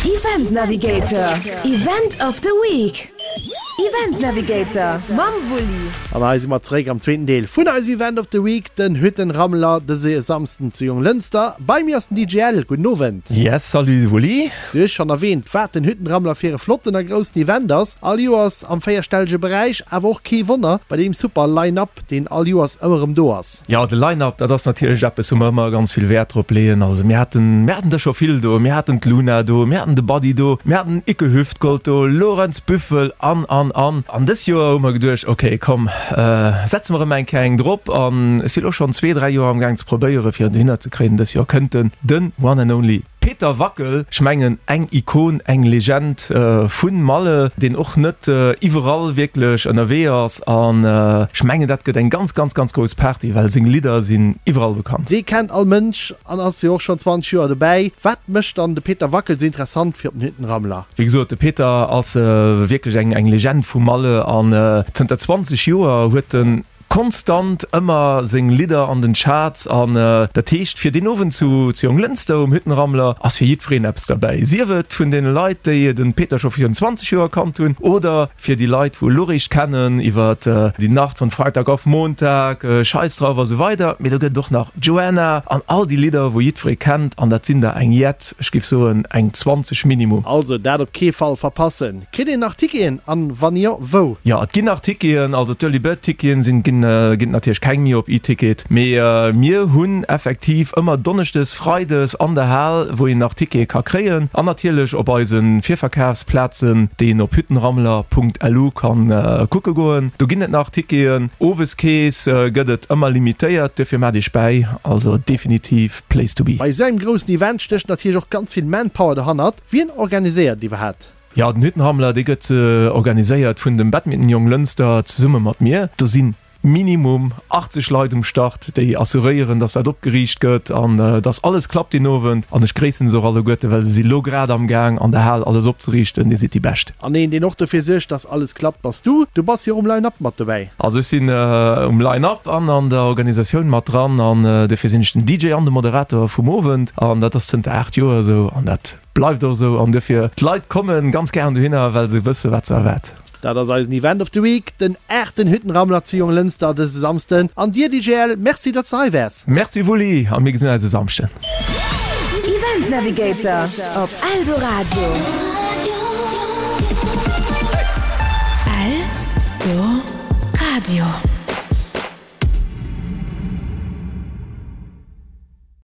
Event Navigator, Event of the Week. Event Navigator mam Wulli. An hei si mer zeréck am zweeten Deel vun eisem Event of the Week, den Hüttenrammler dëse Samsden zu Jonglënster. Bei mir ass den DJ Ell. Gudden Owend. Yes, salut Wulli. Du hues schonn erwähnt, wat den Hüttenrammler fir e flotten a groussen Event ass. All Joers am véierstellege Beräich, awer och kee Wonner bei deem super Line-Up, deen all Joers ëmmer erëm do ass. Jo, de Line-Up, dat ass natierlech eppes, wou mer ëmmer ganz vill Wäert drop leeën. Also mir haten, mir haten der scho vill do. Mir haten d'Luna do, mir haten de Buddy do, mir haten Icke Hüftgold do, Lorenz Büffel an, an, an. An dës Joer hu mer geduecht, ok, komm, setze mer erëm eng Kéier eng drop. An ech si lo schonn zwee, dräi Joer amgaang ze probéieren, fir en dohinner ze kréien. Dës Joer kënnt en, den One and Only. Peter Wackel, ech mengen eng Ikon, eng Legend vun Malle, deen och net iwwerall wierklech ënnerwee ass an ech mengen dat gëtt eng ganz ganz ganz grouss Party, well seng Lidder sinn iwwerall bekannt. Dee kennt all Mënsch an ass jo och schonn 20 Joer dobäi. Wat mécht dann de Peter Wackel esou interessant fir op den Hüttenrammler? Wéi gesot, de Peter ass wierklech eng Legend vu Malle an zënter 20 Joer huet en Konstant ëmmer seng Lidder an den Charts an dat heescht fir deen Owend zu zu Jonglënster um Hüttenrammler ass fir jiddwereen eppes derbäi. Sief et vun den Leit déi den Peter scho virun 20 Joer kannt hunn oder fir déi Leit wou elo réischt kennen iwwer Die Nacht von Freitag auf Montag, Scheiß drauf a sou weider. Mee do gëtt et och nach Joanna an all déi Lidder wou jiddweree kennt an dat sinn der eng jett, ech géif soen eng 20 minimum. Also dat op kee Fall verpassen! Kritt een nach Ticketen an wann jo, wou? Jo, et ginn nach Ticketen, also d'Early Bird Ticketen sinn, ginn ginn et natierlech keng méi op E-Ticket, mee mir hunn effektiv ëmmer Donneschdes, Freides an der Hal, wou een nach Tickete ka kréien an natierlech op eise Virverkafsplazen, déi een op hüttenrammler.lu kann kucke goen, do ginn et nach Ticketen. Oweskeess gëtt et ëmmer limitéiert, duerfir maacht iech bäi, also definitiv Place to be. Bei esou engem groussen Event stécht natierlech och ganz vill Manpower derhannert. Wien organiséiert iwwerhat? Jo, den Hüttenrammler, dee gëtt organiséiert vun dem Badminton Jonglënster zesumme mat mir. Do si minimum 80 Leit um Start, déi assuréieren, dass dat opgeriicht gëtt an dass alles klappt deen Owend. An ech gréissen se och alleguerte, well se si lo grad amgaang an der Hal alles opzeriichten. Dir sidd déi Bescht. An een, deen och dofir suergt, dass alles klappt, bass du. Du bass jo och um Line-Up mat dobäi. Also ech sinn um Line-Up an an der Organisatioun mat dran an dofir sinn ech den DJ an de Moderator vum Owend an dat ass zënter 8 Joer esou an dat Bleift och esou an duerfir, d'Leit kommen ganz gären dohinner, well se wësse wat se erwaart. Dat ass eisen Event of the Week, den aachten Hüttenrammler zu Jonglënster dëse Samsden. An dir DJL, Merci datt s de hei waars. Merci Wulli a mir gesinn eis e Samschden. Event Navigator op Eldoradio. Eldoradio.